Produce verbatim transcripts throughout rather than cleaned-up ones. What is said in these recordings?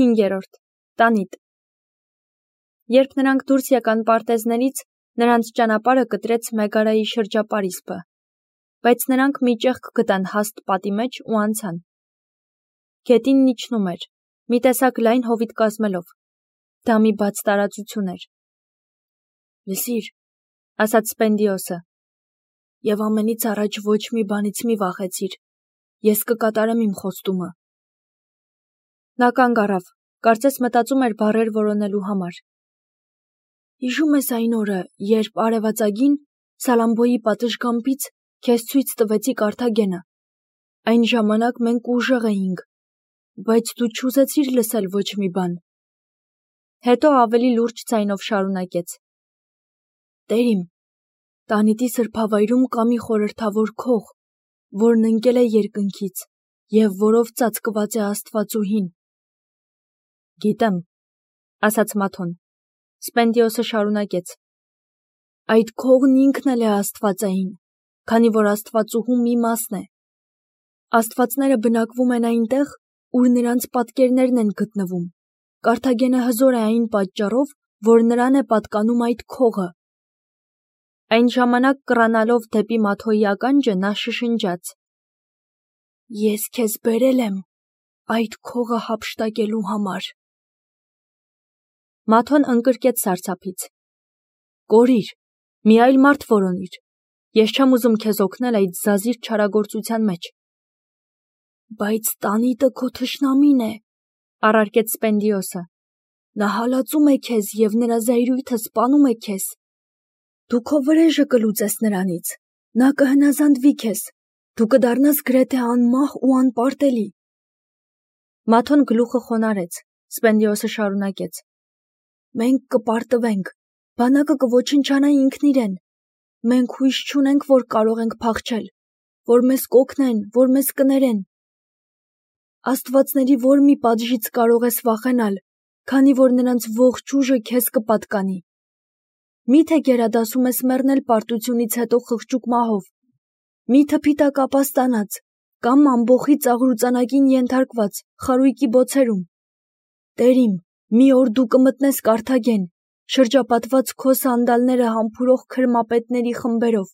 հինգերորդ. Տանիտ։ Երբ նրանք դուրս եկան պարտեզներից, նրանց ճանապարհը կտրեց Մեգարայի շրջապարիսպը, բայց նրանք մի ճեղք գտան հաստ պատի մեջ ու անցան։ Գետինն իջնում էր, մի տեսակ լայն հովիտ կազմելով։ Դա մի բաց տարածություն էր։ Լսիր, ասաց Սպենդիոսը, և ամենից առաջ ոչ մի բանից մի վախեցիր, ես կկատարեմ իմ խոստումը։ Նա կանգ առավ, կարծես մտածում էր բառեր որոնելու համար։ Հիշում ես այն օրը, երբ արևածագին Սալամբոյի պատշգամբից քեզ ցույց տվեցի Կարթագենը։ Այն ժամանակ մենք ուժեղ էինք, բայց դու չուզեցիր լսել ոչ մի բան։ Հետո ավելի լուրջ ձայնով շարունակեց. Տեր իմ, Տանիտի սրբավայրում կա մի խորհրդավոր քող, որն ընկել է երկնքից և որով ծածկված է Աստվածուհին։ Գիտեմ, ասաց Մաթոն։ Սպենդիոսը շարունակեց. Այդ քողն ինքն էլ է աստվածային, քանի որ Աստվածուհու մի մասն է։ Աստվածները բնակվում են այնտեղ, ուր նրանց պատկերներն են գտնվում։ Կարթագենը հզոր է այն պատճառով, որ նրան է պատկանում այդ քողը։ Այն ժամանակ կռանալով դեպի Մաթոյի ականջը նա շշնջաց. Ես քեզ բերել եմ այդ քողը հափշտակելու համար։ Մաթոն ընկրկեց սարսափից. Կորիր, մի այլ մարդ որոնիր, ես չեմ ուզում քեզ օգնել այդ զազիր չարագործության մեջ։ Բայց Տանիտը քո թշնամին է, առարկեց Սպենդիոսը։ Նա հալածում է քեզ և նրա զայրույթը սպանում է քեզ։ Դու քո վրեժը կլուծես նրանից, նա կհնազանդվի քեզ, դու կդառնաս գրեթե անմահ ու անպարտելի։ Մաթոն գլուխը խոնարհեց, Սպենդիոսը շարունակեց. Մենք կպարտվենք, բանակը կոչնչանա ինքն իրեն։ Մենք հույս չունենք, որ կարող ենք փախչել, որ մեզ կօգնեն, որ մեզ կներեն։ Աստվածների որ մի պատժից կարող ես վախենալ, քանի որ նրանց ողջ ուժը քեզ կպատկանի։ Մի՞թե գերադասում ես մեռնել պարտությունից հետո խղճուկ մահով, մի՞թե փիթակ ապաստանած, կամ ամբոխի ծաղրուծանակին ենթարկված խարույկի բոցերում։ Տեր իմ, մի օր դու կմտնես Կարթագեն, շրջապատված քո սանդալները համբուրող քրմապետների խմբերով։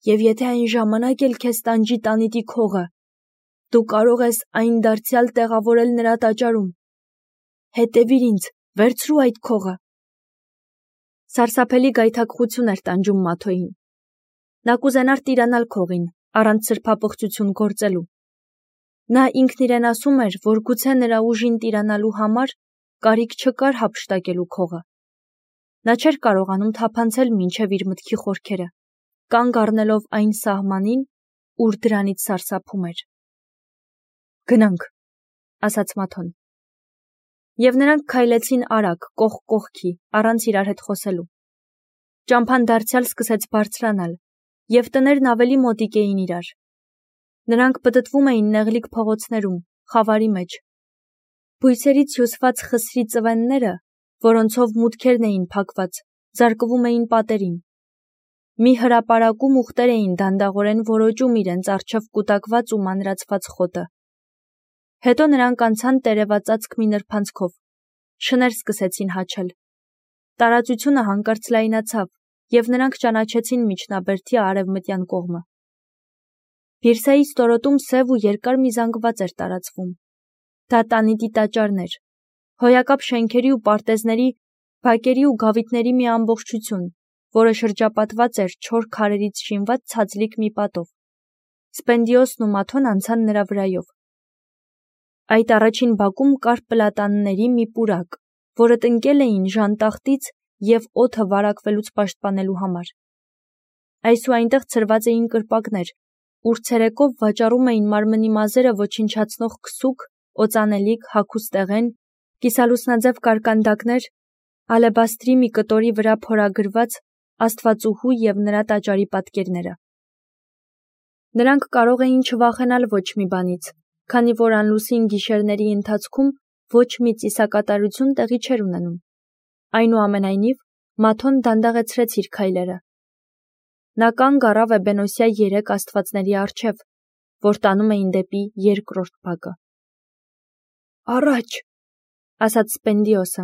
Եվ եթե այն ժամանակ էլ քեզ տանջի Տանիտի քողը, դու կարող ես այն դարձյալ տեղավորել նրա տաճարում։ Հետևիր ինձ, վերցրու այդ քողը։ Սարսափելի գայթակղություն էր տանջում Մաթոյին։ Նա կուզենար տիրանալ քողին, առանց սրբապղծություն գործելու։ Նա ինքն իրեն ասում էր, որ գուցե նրա ուժին տիրանալու համար կարիք չկար հափշտակելու քողը։ Նա չէր կարողանում թափանցել մինչև իր մտքի խորքերը, կանգ առնելով այն սահմանին, ուր դրանից սարսափում էր։ Գնանք, ասաց Մաթոն։ Եվ նրանք քայլեցին արագ, կողք կողքի, առանց իրար հետ խոսելու։ Ճամփան դարձյալ սկսեց բարձրանալ, և տներն ավելի մոտիկ էին իրար։ Նրանք պտտվում էին նեղլիկ փողոցներում, խավարի մեջ։ Բույսերից հյուսված խսրի ծվենները, որոնցով մուտքերն էին փակված, զարկվում էին պատերին։ Մի հրապարակում ուղտեր էին դանդաղորեն որոճում իրենց առջև կուտակված ու մանրացված խոտը։ Հետո նրանք անցան տերևածածկ մի նրբանցքով, շներ սկսեցին հաչել։ Տարածությունը հանկարծ լայնացավ, և նրանք ճանաչեցին միջնաբերդի արևմտյան կողմը։ Բիրսայի ստորոտում սև ու երկար մի զանգված էր տարածվում։ Դա Տանիտի տաճարն էր, հոյակապ շենքերի ու պարտեզների, բակերի ու գավիթների մի ամբողջություն, որը շրջապատված էր չոր քարերից շինված ցածլիկ մի պատով։ Սպենդիոսն ու Մաթոն անցան նրա վրայով։ Այդ առաջին բակում կար պլատանների մի պուրակ, որը տնկել էին ժանտախտից և օդը վարակվելուց պաշտպանելու համար։ Այս ու այնտեղ ցրված էին կրպակներ, ուր ցերեկով վաճառում էին մարմնի մազերը ոչնչացնող քսուք, օծանելիք, հագուստեղեն, կիսալուսնաձև կարկանդակներ, ալեբաստրի մի կտորի վրա փորագրված Աստվածուհու և նրա տաճարի պատկերները։ Նրանք կարող էին չվախենալ ոչ մի բանից, քանի որ անլուսին գիշերների ընթացքում ոչ մի ծիսակատարություն տեղի չէր ունենում։ Այնուամենայնիվ, Մաթոն դանդաղեցրեց իր քայլերը։ Նա կանգ առավ էբենոսյա երեք աստվածների առջև, որ տանում էին դեպի երկրորդ բակը։ Առաջ, ասաց Սպենդիոսը։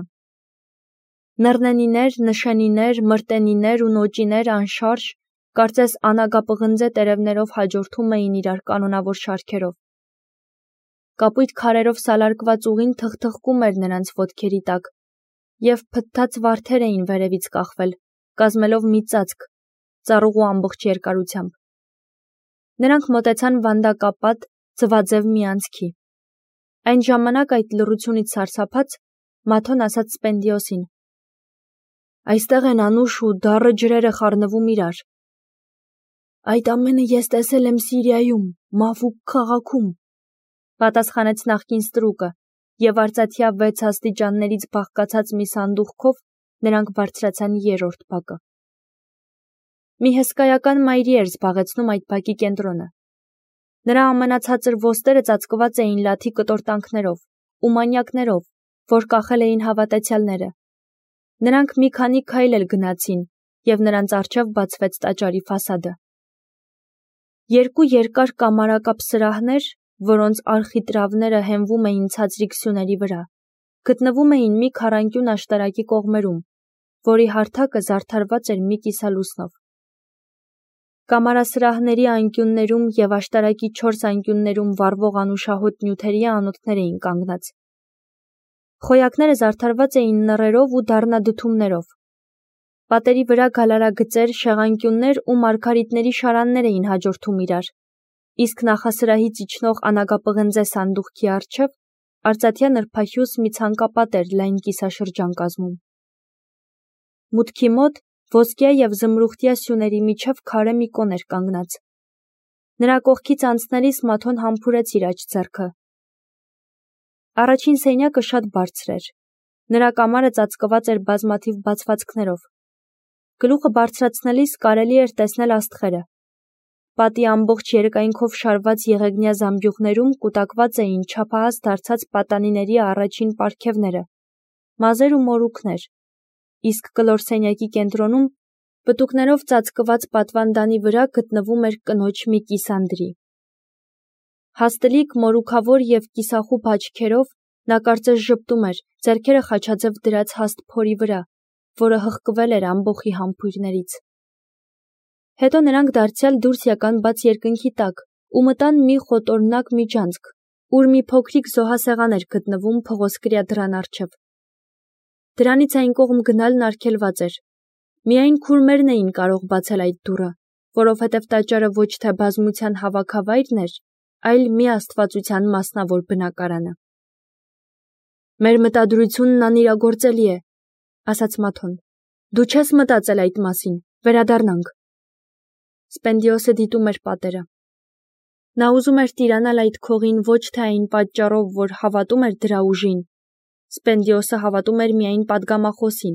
Նռնենիներ, նշենիներ, մրտենիներ ու նոճիներ անշարժ, կարծես անագապղնձե տերևներով հաջորդում էին իրար կանոնավոր շարքերով։ Կապույտ քարերով սալարկված ուղին թխթխկում էր նրանց ոտքերի տակ, և փթթած վարդեր էին վերևից կախվել, կազմելով մի ծածկ, ծառուղու ամբողջ երկարությամբ։ Նրանք մոտեցան վանդակապատ, ձվաձև մի անցքի։ Այն ժամանակ այդ լռությունից սարսափած, Մաթոն ասաց Սպենդիոսին. «Այստեղ են անուշ ու դառը ջրերը խառնվում իրար»։ «Այդ ամենը ես տեսել եմ Սիրիայում, Մավուկ քաղաքում», պատասխանեց նախկին ստրուկը, և արծաթյա վեց աստիճաններից բաղկացած մի սանդուղքով նրանք բարձրացան երրորդ բակը։ Մի հսկայական մայրի էր զբաղեցնում այդ բակի կենտրոնը։ Նրա ամենացածր ոստերը ծածկված էին լաթի կտորտանքներով ու մանյակներով, որ կախել էին հավատացյալները։ Նրանք մի քանի քայլ էլ գնացին, և նրանց առջև բացվեց տաճարի ֆասադը։ Երկու երկար կամարակապ սրահներ, որոնց արխիտրավները հենվում էին ցածրիկ սյուների վրա, գտնվում էին մի քառանկյուն աշտարակի կողմերում, որի հարթակը զարդարված էր մի կիսալուսնով։ Կամարասրահների անկյուններում և աշտարակի չորս անկյուններում վառվող անուշահոտ նյութերի անոթներ էին կանգնած։ Խոյակները զարդարված էին նռերով ու դառնադդումներով։ Պատերի վրա գալարագծեր, շեղանկյուններ ու մարգարիտների շարաններ էին հաջորդում իրար, իսկ նախասրահից իջնող անագապղնձե սանդուղքի առջև արծաթյա նրբահյուս մի ցանկապատ էր լայն կիսաշրջան կազմում։ Մուտքի մոտ ոսկյա և զմրուխտյա սյուների միջև քարե մի կոն էր կանգնած։ Նրա կողքից անցնելիս Մաթոն համբուրեց իր աջ ձեռքը։ Առաջին սենյակը շատ բարձր էր։ Նրա կամարը ծածկված էր բազմաթիվ բացվածքներով։ Գլուխը բարձրացնելիս կարելի էր տեսնել աստղերը։ Պատի ամբողջ երկայնքով շարված եղեգնյա զամբյուղներում կուտակված էին չափահաս դարձած պատանիների առաջին պարգևները, մազեր ու մորուքներ, իսկ կլոր սենյակի կենտրոնում պտուկներով ծածկված պատվանդանի վրա գտնվում էր կնոջ մի կիսանդրի։ Հաստլիկ, մորուքավոր և կիսախուբ աչքերով նա կարծես ժպտում էր, ձեռքերը խաչաձև դրած հաստ փորի վրա, որը հղկվել էր ամբոխի համբույրներից։ Հետո նրանք դարձյալ դուրս եկան բաց երկնքի տակ ու մտան մի խոտորնակ միջանցք, ուր մի փոքրիկ զոհասեղան էր գտնվում փղոսկրյա դռան առջև։ Դրանից այն կողմ գնալն արգելված էր։ Միայն քուրմերն էին կարող բացել այդ դուռը, որովհետև տաճարը ոչ թե բազմության հավաքավայրն էր, այլ մի աստվածության մասնավոր բնակարանը։ «Մեր մտադրությունն անիրագործելի է», ասաց Մաթոն։ «Դու չես մտածել այդ մասին, վերադառնանք»։ Սպենդիոսը դիտում էր պատերը։ Նա ուզում էր տիրանալ այդ քողին ոչ թե այն պատճառով, որ հավատում էր դրա ուժին, Սպենդիոսը հավատում էր միայն պատգամախոսին,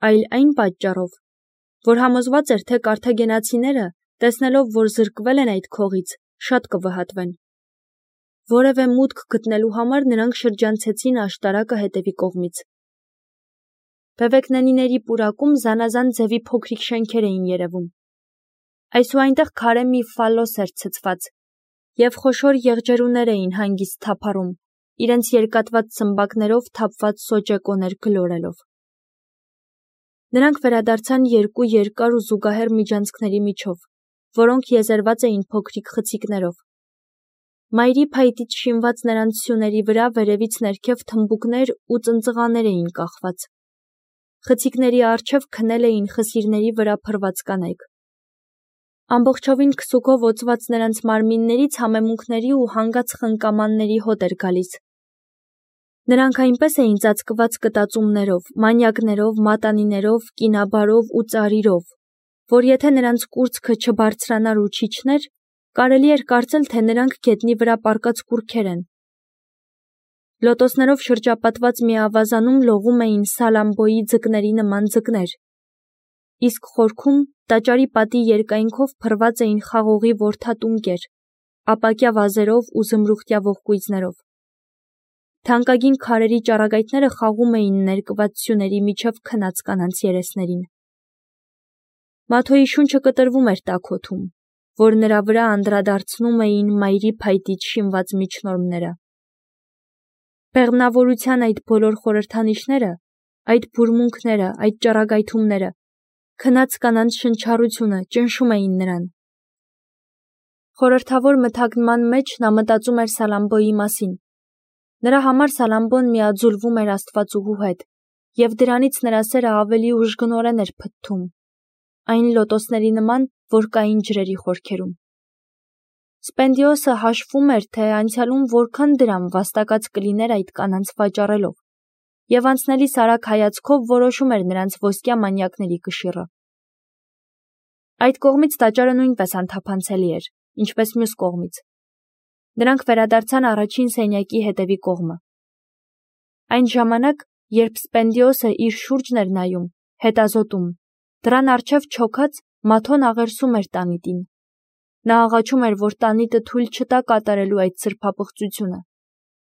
այլ այն պատճառով, որ համոզված էր, թե կարթագենացիները, տեսնելով, որ զրկվել են այդ քողից, շատ կվհատվեն։ Որևէ մուտք գտնելու համար նրանք շրջանցեցին աշտարակը հետևի կողմից։ Բևեկնենիների պուրակում զանազան ձևի փոքրիկ շենքեր էին երևում։ Այս ու այնտեղ քարե մի ֆալոս էր ցցված, և խոշոր եղջերուներ էին հանգիստ թափառում, իրենց երկատված ցմբակներով թափված սոճեկոներ գլորելով։ Նրանք վերադարձան երկու երկար ու զուգահեռ միջանցքների միջով, որոնք եզերված էին փոքրիկ խցիկներով։ Մայրի փայտից շինված նրանց սյուների վրա վերևից ներքև թմբուկներ ու ծնծղաներ էին կախված։ Խցիկների առջև քնել էին խսիրների վրա փռված կանայք։ Ամբողջովին քսուքով օծված նրանց մարմիններից համեմունքների ու հանգած խնկամանների հոտ էր գալիս։ Նրանք այնպես էին ծածկված կտածումներով, մանյակներով, մատանիներով, կինաբարով ու ծարիրով, որ եթե նրանց կուրծքը չբարձրանար ու չիջներ, կարելի էր կարծել, թե նրանք գետնի վրա պառկած կուռքեր են։ Լոտոսներով շրջապատված մի ավազանում լողում էին սալամբոյի ձկների նման ձկներ, իսկ խորքում տաճարի պատի երկայնքով փռված էին խաղողի որդատունկեր, ապակյա վազերով ու զմրուխտյա ողկույզներով։ Թանկագին քարերի ճառագայթները խաղում էին ներկված սյուների միջև քնած կանանց երեսներին։ Մաթոյի շունչը կտրվում էր տաք օդում, որ նրա վրա անդրադարձնում էին մայրի փայտից շինված միջնորմները։ Բեղմնավորության այդ բոլոր խորհրդանիշները, այդ բուրմունքները, այդ ճառագայթումները, քնած կանանց շնչառությունը ճնշում էին նրան։ Խորհրդավոր մթագնման մեջ նա մտածում էր Սալամբոյի մասին։ Նրա համար Սալամբոն միաձուլվում էր Աստվածուհու հետ, և դրանից նրա սերը ավելի ուժգնորեն էր փթթում, այն լոտոսների նման, որ կային ջրերի խորքերում։ Սպենդիոսը հաշվում էր, թե անցյալում որքան դրամ վաստակած կլիներ այդ կանանց վաճառելով, և անցնելիս արագ հայացքով որոշում էր նրանց ոսկյա մանյակների կշիռը։ Այդ կողմից տաճարը նույնպես անթափանցելի էր, ինչպես մյուս կողմից։ Նրանք վերադարձան առաջին սենյակի հետևի կողմը։ Այն ժամանակ, երբ Սպենդիոսը իր շուրջն էր նայում, հետազոտում, դռան առջև չոքած, Մաթոն աղերսում էր տանիտին։ Նա աղաչում էր, որ տանիտը թույլ չտա կատարելու այդ սրբապղծությունը,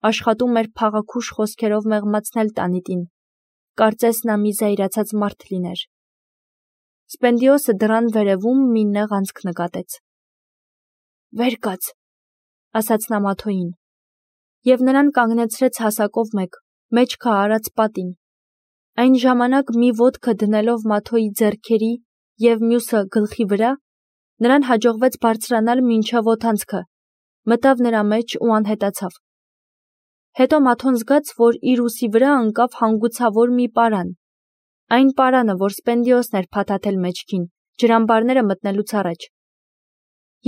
աշխատում էր փաղաքուշ խոսքերով մեղմացնել տանիտին, կարծես նա մի զայրացած մարդ լիներ։ Սպենդիոսը դռան վերևում մի նեղ անցք նկատեց։ «Վեր կաց», ասաց նա Մաթոյին, և նրան կանգնեցրեց հասակով մեկ, մեջքը արած պատին։ Այն ժամանակ մի ոտքը դնելով Մաթոյի ձեռքերի և մյուսը գլխի վրա, նրան հաջողվեց բարձրանալ մինչև օդանցքը, մտավ նրա մեջ ու անհետացավ։ Հետո Մաթոն զգաց, որ իր ուսի վրա ընկավ հանգուցավոր մի պարան, այն պարանը, որ Սպենդիոսն էր փաթաթել մեջքին, ջրամբարները մտնելուց առաջ։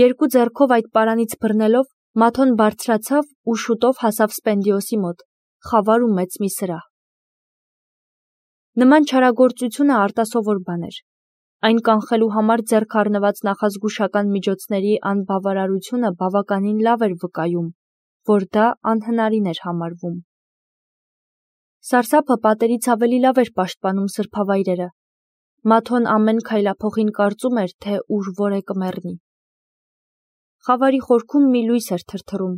Երկու ձեռքով այդ պարանից բռնելով, Մաթոն բարձրացավ ու շուտով հասավ Սպենդիոսի մոտ, խավար ու մեծ մի սրահ։ Նման չարագործությունը արտասովոր բան էր։ Այն կանխելու համար ձեռք առնված նախազգուշական միջոցների անբավարարությունը բավականին լավ էր վկայում, որ դա անհնարին էր համարվում։ Սարսափը պատերից ավելի լավ էր պաշտպանում սրբավայրերը։ Մաթոն ամեն քայլափոխին կարծում էր, թե ուր որ է կմեռնի։ Խավարի խորքում մի լույս էր թրթռում։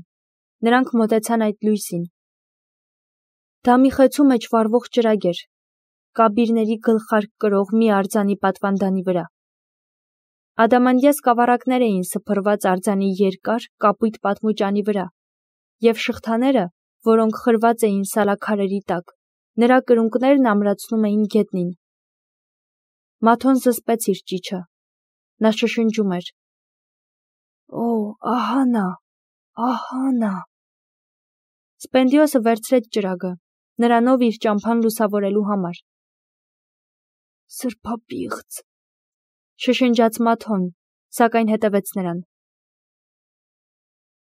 Նրանք մոտեցան այդ լույսին։ Դա մի խեցու մեջ վառվող ճրագ էր, կաբիրների գլխարկ կրող մի արձանի պատվանդանի վրա։ Ադամանդյա սկավառակներ էին սփռված արձանի երկար, կապույտ պատմուճանի վրա, և շղթաները, որոնք խրված էին սալաքարերի տակ, նրա կրունկներն ամրացնում էին գետնին։ Մաթոն զսպեց իր ճիչը։ Նա շշնջում էր. «Օ, ահա նա, ահա նա»։ Սպենդիոսը վերցրեց ճրագը, նրանով իր ճամփան լուսավորելու համար։ «Սրբապիղծ», շշնջաց Մաթոն, սակայն հետևեց նրան։